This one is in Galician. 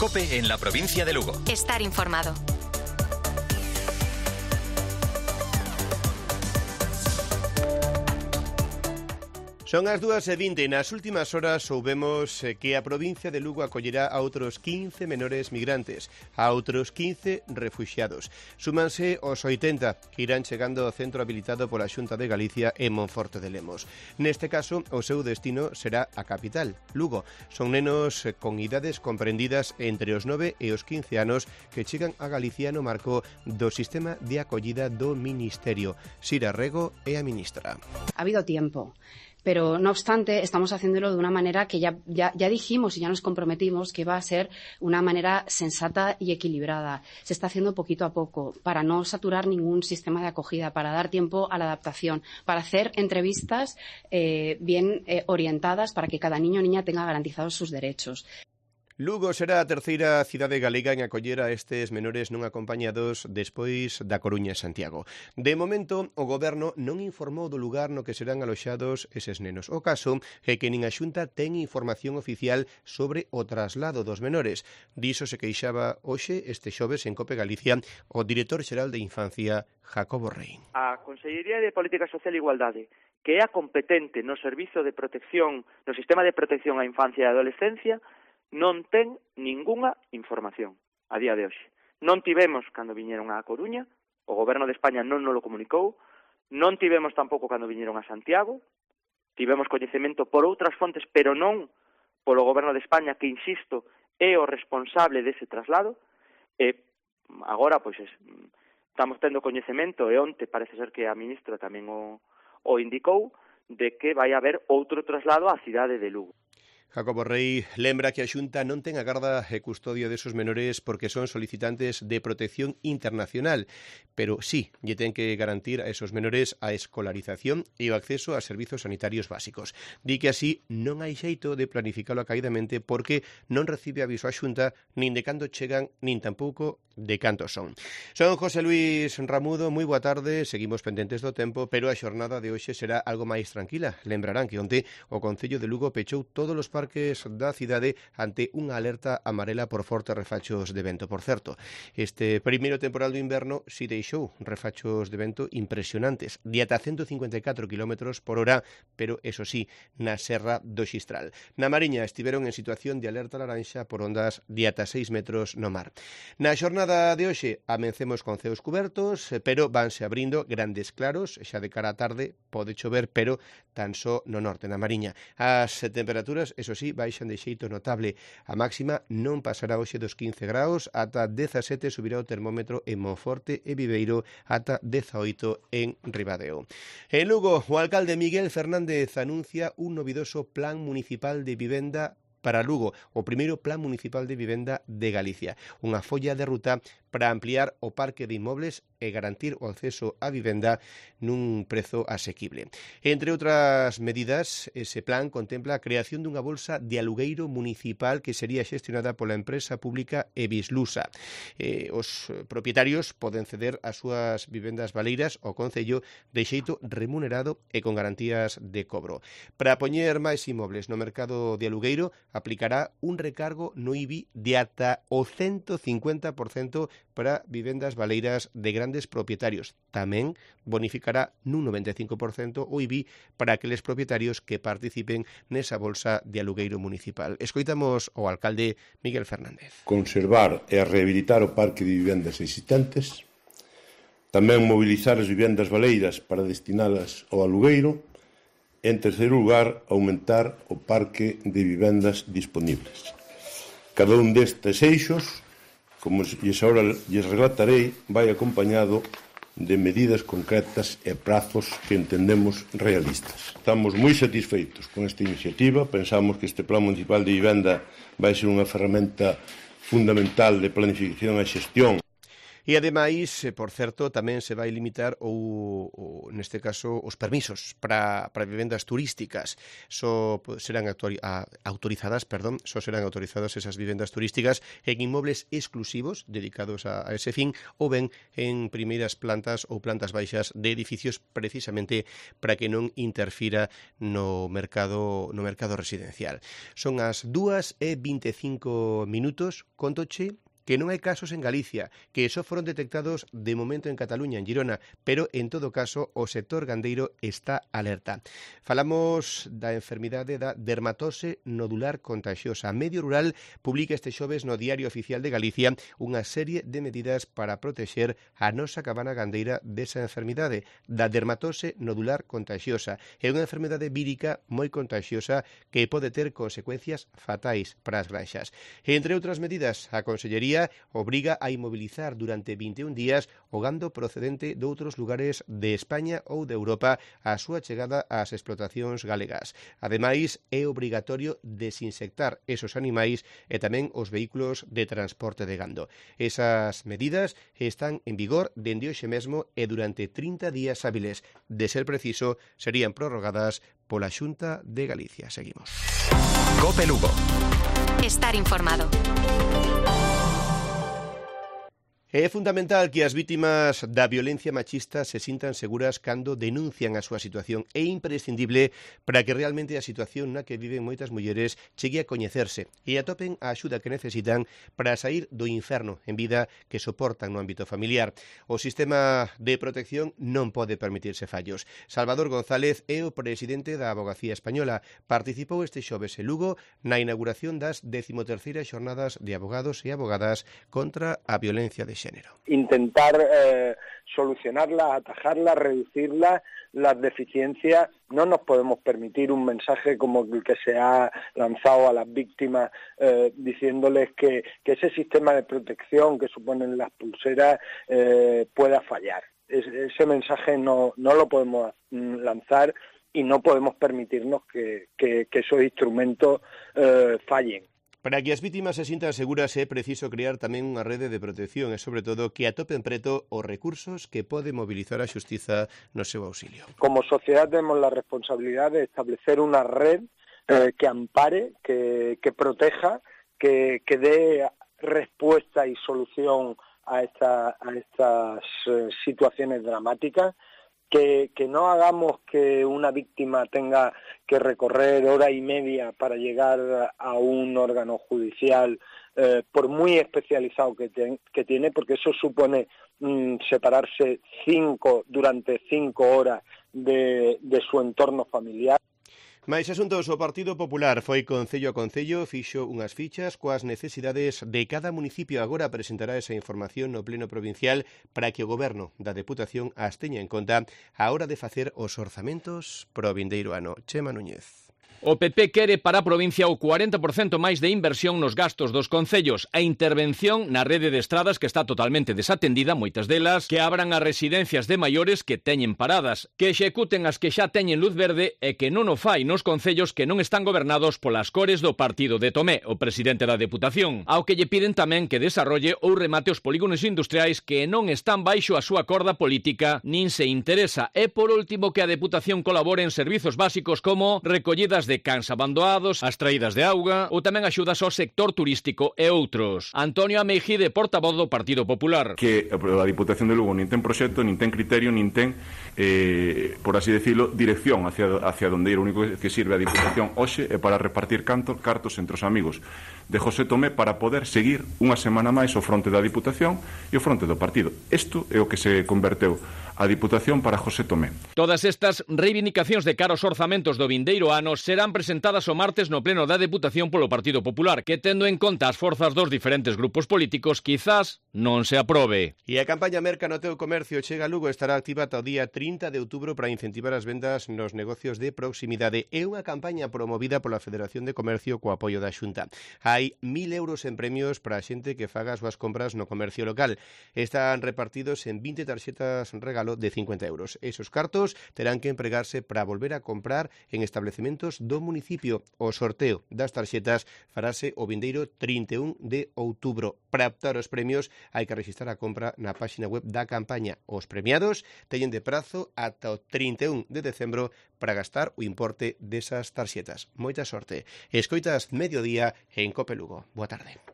COPE en la provincia de Lugo. Estar informado. Son as 2:20. Nas últimas horas soubemos que a provincia de Lugo acollerá a outros 15 menores migrantes, a outros 15 refuxiados. Súmanse os 80 que irán chegando ao centro habilitado pola Xunta de Galicia en Monforte de Lemos. Neste caso, o seu destino será a capital, Lugo. Son nenos con idades comprendidas entre os 9 e os 15 anos que chegan a Galicia no marco do sistema de acollida do Ministerio. Sira Rego é a ministra. Ha habido tiempo. Pero, no obstante, estamos haciéndolo de una manera que ya dijimos y ya nos comprometimos que iba a ser una manera sensata y equilibrada. Se está haciendo poquito a poco para no saturar ningún sistema de acogida, para dar tiempo a la adaptación, para hacer entrevistas bien orientadas para que cada niño o niña tenga garantizados sus derechos. Lugo será a terceira cidade galega en acoller a estes menores non acompañados despois da Coruña e Santiago. De momento, o Goberno non informou do lugar no que serán aloxados eses nenos. O caso é que nin a Xunta ten información oficial sobre o traslado dos menores. Diso se queixaba hoxe este xoves en COPE Galicia o director xeral de Infancia, Jacobo Rey. A Consellería de Política Social e Igualdade, que é a competente no servizo de protección, no sistema de protección á infancia e adolescencia, non ten ningunha información a día de hoxe. Non tivemos cando viñeron á Coruña, o Goberno de España non nos lo comunicou, non tivemos tampouco cando viñeron a Santiago, tivemos coñecemento por outras fontes, pero non polo Goberno de España, que, insisto, é o responsable dese traslado, e agora, pois, estamos tendo coñecemento, e onte parece ser que a ministra tamén o indicou, de que vai haber outro traslado á cidade de Lugo. Jacobo Rey lembra que a Xunta non ten a garda e custodia desos menores porque son solicitantes de protección internacional, pero sí, lle ten que garantir a esos menores a escolarización e o acceso a servizos sanitarios básicos. Di que así non hai xeito de planificalo acaidamente porque non recibe aviso a Xunta nin de cando chegan, nin tampouco de cantos son. Son José Luis Ramudo, moi boa tarde, seguimos pendentes do tempo, pero a xornada de hoxe será algo máis tranquila. Lembrarán que onte o Concello de Lugo pechou todos os parques da cidade ante unha alerta amarela por fortes refachos de vento. Por certo, este primeiro temporal do inverno si deixou refachos de vento impresionantes, de ata 154 km por hora, pero, eso sí, na Serra do Xistral. Na Mariña estiveron en situación de alerta laranxa por ondas de ata 6 metros no mar. Na xornada de hoxe amencemos con ceos cubertos, pero vanse abrindo grandes claros, xa de cara á tarde pode chover, pero tan só no norte, na Mariña. As temperaturas, eso sí, baixan de xeito notable. A máxima non pasará hoxe dos 15 graus, ata 17 subirá o termómetro en Monforte e Viveiro, ata 18 en Ribadeo. En Lugo, o alcalde Miguel Fernández anuncia un novidoso plan municipal de vivenda para Lugo, o primeiro plan municipal de vivenda de Galicia. Unha folla de ruta para ampliar o parque de inmobles e garantir o acceso á vivenda nun prezo asequible. Entre outras medidas, ese plan contempla a creación dunha bolsa de alugueiro municipal que sería xestionada pola empresa pública Evislusa. Os propietarios poden ceder as súas vivendas baleiras ao Concello de xeito remunerado e con garantías de cobro. Para poñer máis inmobles no mercado de alugueiro, aplicará un recargo no IBI de ata o 150% para vivendas baleiras de grandes propietarios. Tamén bonificará nun 95% o IBI para aqueles propietarios que participen nesa bolsa de alugueiro municipal. Escoitamos ao alcalde Miguel Fernández. Conservar e rehabilitar o parque de vivendas existentes, tamén mobilizar as vivendas baleiras para destinalas ao alugueiro, e, en terceiro lugar, aumentar o parque de vivendas disponibles. Cada un destes eixos, como agora lles relatarei, vai acompañado de medidas concretas e prazos que entendemos realistas. Estamos moi satisfeitos con esta iniciativa, pensamos que este Plan Municipal de Vivenda vai ser unha ferramenta fundamental de planificación e xestión. E ademais, por certo, tamén se vai limitar neste caso os permisos para vivendas turísticas. Só serán autorizadas esas vivendas turísticas en inmobles exclusivos dedicados a ese fin ou ben en primeiras plantas ou plantas baixas de edificios precisamente para que non interfira no mercado residencial. Son as 2:25, contoche que non hai casos en Galicia, que só foron detectados de momento en Cataluña, en Girona, pero en todo caso o sector gandeiro está alerta. Falamos da enfermidade da dermatose nodular contaxiosa. Medio Rural publica este xoves no Diario Oficial de Galicia unha serie de medidas para protexer a nosa cabana gandeira desa enfermidade, da dermatose nodular contaxiosa. É unha enfermidade vírica moi contaxiosa que pode ter consecuencias fatais para as granxas. Entre outras medidas, a Consellería obriga a inmobilizar durante 21 días o gando procedente de outros lugares de España ou de Europa a súa chegada ás explotacións galegas. Ademais, é obrigatorio desinsectar esos animais e tamén os vehículos de transporte de gando. Esas medidas están en vigor dende hoxe mesmo e durante 30 días hábiles. De ser preciso, serían prorrogadas pola Xunta de Galicia. Seguimos. COPE Lugo. Estar informado. É fundamental que as vítimas da violencia machista se sintan seguras cando denuncian a súa situación. É imprescindible para que realmente a situación na que viven moitas mulleres chegue a coñecerse e atopen a axuda que necesitan para sair do inferno en vida que soportan no ámbito familiar. O sistema de protección non pode permitirse fallos. Salvador González é o presidente da Avogacía Española. Participou este xoves en Lugo na inauguración das 13ª xornadas de abogados e abogadas contra a violencia de género. Intentar solucionarla, atajarla, reducirla, las deficiencias. No nos podemos permitir un mensaje como el que se ha lanzado a las víctimas diciéndoles que ese sistema de protección que suponen las pulseras pueda fallar. Ese mensaje no lo podemos lanzar y no podemos permitirnos que esos instrumentos fallen. Para que as vítimas se sintan seguras é preciso crear tamén unha rede de protección e, sobre todo, que atopen preto os recursos que pode mobilizar a xustiza no seu auxilio. Como sociedad tenemos la responsabilidad de establecer una red que ampare, que proteja, que dé respuesta y solución a estas situaciones dramáticas. Que no hagamos que una víctima tenga que recorrer hora y media para llegar a un órgano judicial, por muy especializado que tiene, porque eso supone separarse durante 5 horas de su entorno familiar. Mais asuntos, o Partido Popular foi concello a concello, fixo unhas fichas coas necesidades de cada municipio. Agora presentará esa información no Pleno Provincial para que o Goberno da Deputación as teña en conta á hora de facer os orzamentos pro vindeiro ano. Chema Núñez. O PP quere para a provincia o 40% máis de inversión nos gastos dos concellos, a intervención na rede de estradas que está totalmente desatendida, moitas delas, que abran as residencias de maiores que teñen paradas, que executen as que xa teñen luz verde e que non o fai nos concellos que non están gobernados polas cores do partido de Tomé, o presidente da Deputación, ao que lle piden tamén que desarrolle ou remate os polígonos industriais que non están baixo a súa corda política nin se interesa, e por último que a Deputación colabore en servizos básicos como recollidas de cans abandonados, as traídas de auga ou tamén axudas ao sector turístico e outros. Antonio Ameijide, portavoz do Partido Popular. Que a Diputación de Lugo nin ten proxecto, nin ten criterio, nin ten, por así decirlo, dirección hacia donde ir. O único que sirve a Diputación hoxe é para repartir cartos entre os amigos de José Tomé para poder seguir unha semana máis o fronte da Diputación e o fronte do partido. Isto é o que se converteu a Diputación para José Tomé. Todas estas reivindicacións de cara aos orzamentos do vindeiro ano serán presentadas o martes no Pleno da Deputación polo Partido Popular, que tendo en conta as forzas dos diferentes grupos políticos, quizás non se aprobe. E a campaña Merca no teu comercio chega a Lugo estará activa ata o día 30 de outubro para incentivar as vendas nos negocios de proximidade. É unha campaña promovida pola Federación de Comercio co apoio da Xunta. Hai 1.000 euros en premios para a xente que faga as súas compras no comercio local. Están repartidos en 20 tarxetas regalo regalo de 50 euros. Esos cartos terán que empregarse para volver a comprar en establecementos do municipio. O sorteo das tarxetas farase o vindeiro 31 de outubro. Para optar aos premios hai que rexistrar a compra na páxina web da campaña. Os premiados teñen de prazo ata o 31 de decembro para gastar o importe desas tarxetas. Moita sorte. Escoitas Mediodía en Cope Lugo. Boa tarde.